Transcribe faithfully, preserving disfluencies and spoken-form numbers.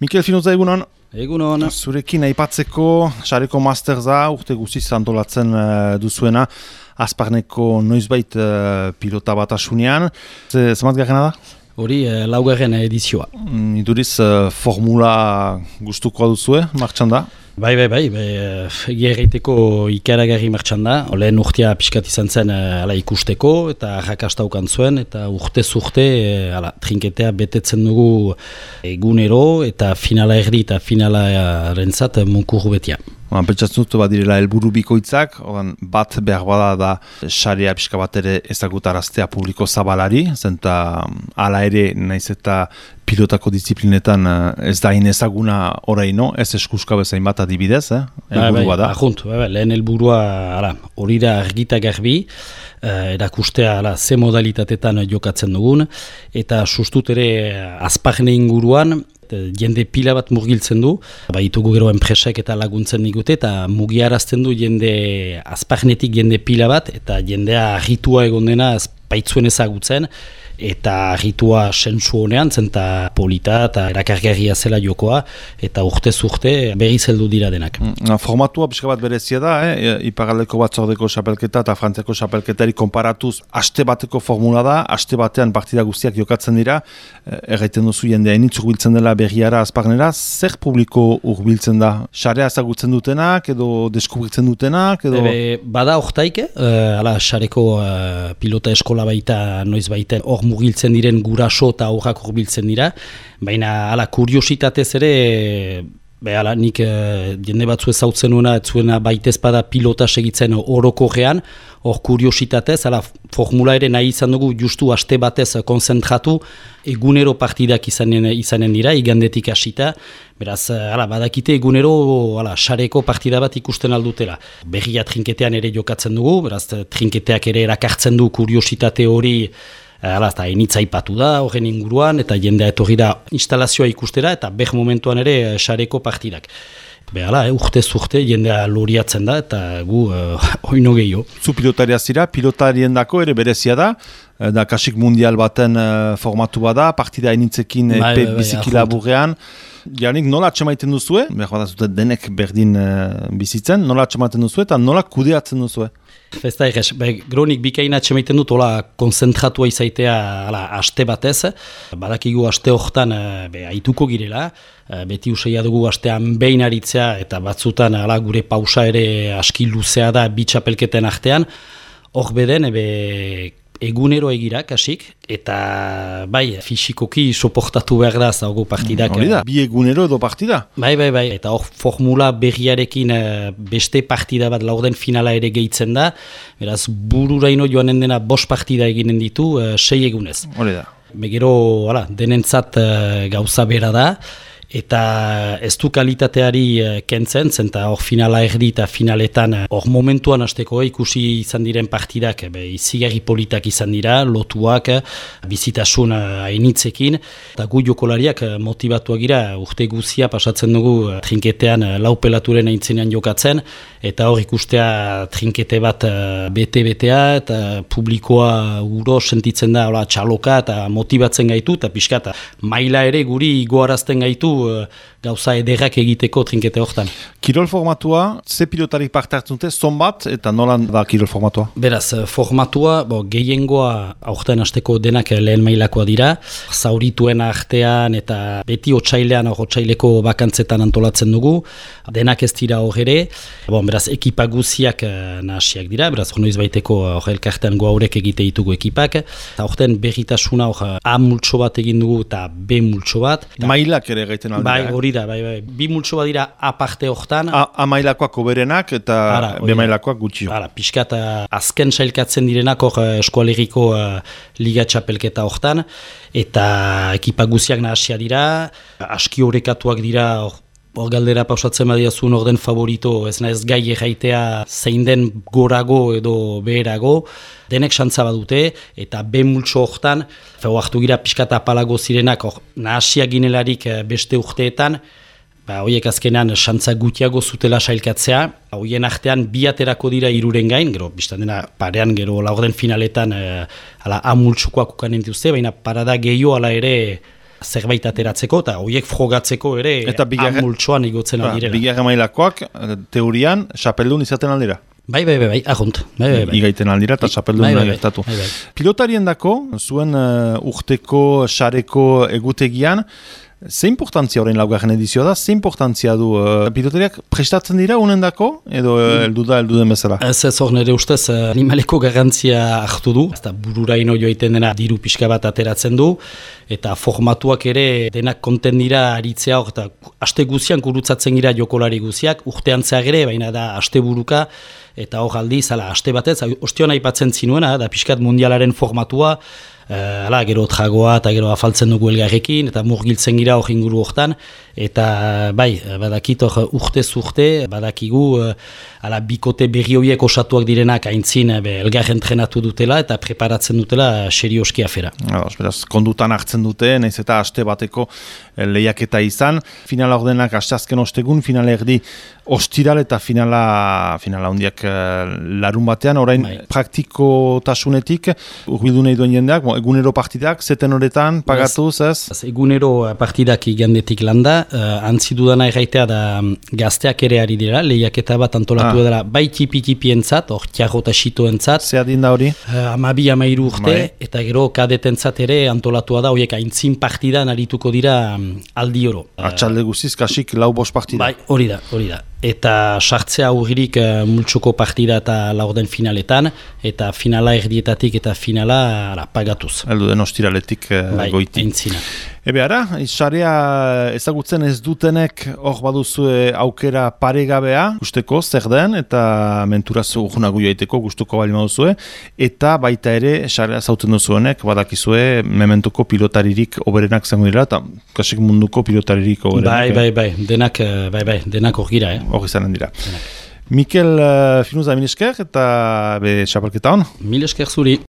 Mikel Finuza, egunon? Egunon. Zurekin aipatzeko sareko masterza urte guztiz antolatzen uh, duzuena Azparneko noizbait uh, pilota batasunean. Zemat garrena da? Hori uh, laugarren edizioa. Mm, iduriz uh, formula gustukoa duzue, martxan da? Bai, bai, bai, bai egia egiteko ikaragarri martxan da. Lehen urtea pixkat izan zen ala, ikusteko eta arrakastaukan zuen, eta urtez urte ala, trinketea betetzen dugu egunero eta finala erdi eta finala rentzat munkurru betia. Pentsatzen dut badirela helburu bikoitzak, bat behar bada da sarea pixka bat ere ezagutaraztea publiko zabalari, zenta hala ere naiz eta pilotako disiplinetan ez da inezaguna oraino, ez eskuska bezain bat adibidez, eh? Helburua da. Ajunt, bai, bai, lehen helburua hori da argita garbi, eh, erakustea ala, ze modalitatetan jokatzen dugun, eta sustut ere Azparne inguruan, jende pila bat murgiltzen du, baitugu gero enpresek eta laguntzen digute, eta mugiarazten du jende Azparnetik jende pila bat, eta jendea argitua egon dena baitzuen ezagutzen, eta argitua sensu honean, zenta polita eta erakargarria zela jokoa, eta urtez urte berri zeldu dira denak. Mm, formatua pixka bat berezia da, eh? Iparraldeko batzordeko xapelketa eta Frantziako xapelketari konparatuz, aste bateko formula da, aste batean partida guztiak jokatzen dira, erraiten duzu jendea initz urbiltzen dela berriara Azparnera, zer publiko urbiltzen da? Sarea ezagutzen dutenak, edo deskubritzen dutenak, edo... Ebe, bada hortaik, uh, ala, sareko uh, pilota eskola baita, noiz baita, hor mugiltzen diren guraso eta aurrak urbiltzen dira, baina ala, kuriositatez ere, be, ala, nik uh, jende batzu ezautzen nuena, etzuena baitezpada pilota segitzen orokorrean, hor kuriositatez, ala, formula ere nahi izan dugu justu aste batez konzentratu, egunero partidak izanen, izanen dira, igandetik hasita, beraz, ala, badakite egunero ala, sareko partida bat ikusten aldutela. Berria trinketean ere jokatzen dugu, beraz, trinketeak ere erakartzen du kuriositate hori, Hala, eta enitza ipatu da, horren inguruan, eta jendea etorri da instalazioa ikustera, eta beh momentuan ere sareko partidak. Behala, eh, urtez urte jendea loriatzen da, eta gu uh, oino gehiago. Zu pilotaria zira, pilotarien dako ere berezia da, da kasik mundial baten uh, formatu bada, partida enitzekin bai, epe bai, biziki laburrean. Janik, nola atxemaiten duzue? Behar bat zuten denek berdin uh, bizitzen, nola atxemaiten duzue eta nola kudeatzen duzue? Ez da egez, gronik bikaina atxemaiten dut, hola konzentratua izaitea ala, aste batez, badakigu aste horretan be, aituko girela, beti usaila dugu astean behin aritzea, eta batzutan ala, gure pausa ere aski luzea da bitxapelketen artean, hor beden, ebe, egunero egira, kasik, eta bai, fisikoki soportatu behar da zaugu partidak. Hori da, bi egunero edo partida? Bai, bai, bai, eta hor formula berriarekin beste partida bat laurden finala ere gehitzen da, beraz bururaino joanen dena bost partida eginen ditu, sei egunez. Hori da. Begero, hala, denentzat gauza bera da, eta ez du kalitateari kentzen, zenta hor finala erdi eta finaletan hor momentuan hasteko ikusi izan diren partidak izigarri politak izan dira, lotuak, bizitasun hainitzekin, eta gu jokolariak motivatuak gira, urte guzia pasatzen dugu trinketean lau pelaturen aintzenean jokatzen, eta hor ikustea trinkete bat bete-betea, eta publikoa uro sentitzen da hola, txaloka eta motibatzen gaitu, eta pixka eta maila ere guri goarazten gaitu gauza ederrak egiteko trinkete hortan. Kirol formatua, ze pilotarik parte hartzen dute, zon bat, eta nolan da kirol formatua? Beraz, formatua, bo, gehiengoa aurten hasteko denak lehen mailakoa dira, zaurituen artean eta beti otsailean, otsaileko bakantzetan antolatzen dugu, denak ez dira hor ere, bon, beraz, ekipa guziak nahasiak dira, beraz, noiz baiteko hor elkartean goaurek egite ditugu ekipak, eta aurten berritasuna hor A multso bat egin dugu eta B multso bat. Mailak ere gaiten aldera. Bai, hori da, bai, bai. Bi multso bat dira A parte hortan. A, A mailakoak oberenak eta ara, B mailakoak gutxio. Ara, pixkat azken sailkatzen direnak hor eskualeriko uh, liga txapelketa hortan, eta ekipa guziak nahasia dira, aski horrekatuak dira, hor Hor galdera pausatzen badiazun orden favorito, ez naiz gai erraitea zein den gorago edo beherago, denek xantza badute, eta B multso hortan, feo hartu gira pixkata apalago zirenak, hor nahasia ginelarik beste urteetan, ba, horiek azkenean xantza gutiago zutela sailkatzea, horien artean bi aterako dira hiruren gain, gero, biztan dena parean gero laurden finaletan, e, ala A multsokoak ukanen dituzte, baina parada gehiago ala ere, zerbait ateratzeko, eta horiek frogatzeko ere eta bigarren multsoan igotzen ba, aldirela. Bigarren mailakoak, teorian, xapeldun izaten aldira. Bai, bai, bai, bai, ahunt. Bai, bai, bai. Igaiten aldira eta xapeldun bai, bai, gertatu. Bai, bai. Pilotarien dako, zuen uh, urteko, sareko egutegian, ze importantzia horrein laugarren edizioa da, ze importantzia du uh, pilotariak prestatzen dira unen dako, edo uh, eldu da, eldu den bezala? Ez ez hor nire ustez animaleko garrantzia hartu du, eta bururaino joiten dena diru pixka bat ateratzen du, eta formatuak ere denak konten dira aritzea hor, eta aste guzian gurutzatzen gira jokolari guziak, urtean zehar ere, baina da aste buruka, eta hor aldiz, ala, aste batez, ostion aipatzen zinuena, da pixkat mundialaren formatua, Uh, ala, gero tragoa eta gero afaltzen dugu elgarrekin eta murgiltzen gira hor inguru hortan eta bai, badakit hor urtez urte badakigu uh, ala, bikote berri horiek osatuak direnak aintzin be, elgarren trenatu dutela eta preparatzen dutela serioski afera. Ados, beraz, kondutan hartzen dute, nahiz eta aste bateko lehiaketa izan, finala ordenak asteazken ostegun, finala erdi ostiral eta finala finala hondiak uh, larun batean, orain bai. Praktikotasunetik urbildu nahi duen jendeak, egunero partidak, zeten horretan, pagatuz, ez? ez egunero partidak igandetik landa, uh, antzi dudana erraitea da gazteak ere ari dira, lehiaketa bat antolatu ah. dela, bai tipi-tipi entzat, hor tiarro eta xito entzat. Zer adin da hori? Uh, amabi amairu urte, bai. Eta gero kadetentzat ere antolatua da, horiek aintzin partidan arituko dira um, aldi oro. Atxalde guziz, kasik lau bost partida. Bai, hori da, hori da. Eta sartzea aurririk uh, multxoko partida eta laurden finaletan, eta finala erdietatik eta finala ara, pagatuz. Eldu den ostiraletik uh, bai, goiti. Aintzina. Ebe ara, sarea ezagutzen ez dutenek hor baduzue aukera paregabea, gusteko zer den, eta menturaz urgunagu joaiteko gustuko bali maduzue, eta baita ere sarea zauten duzuenek, badakizue mementuko pilotaririk oberenak zango dira, eta kasik munduko pilotaririk oberenak. Bai, bai, bai, denak, bai, bai, denak hor gira, eh? Hor izanen dira. Denak. Mikel uh, Finuza, mil esker, eta be, xapelketa hon? Mil esker zuri.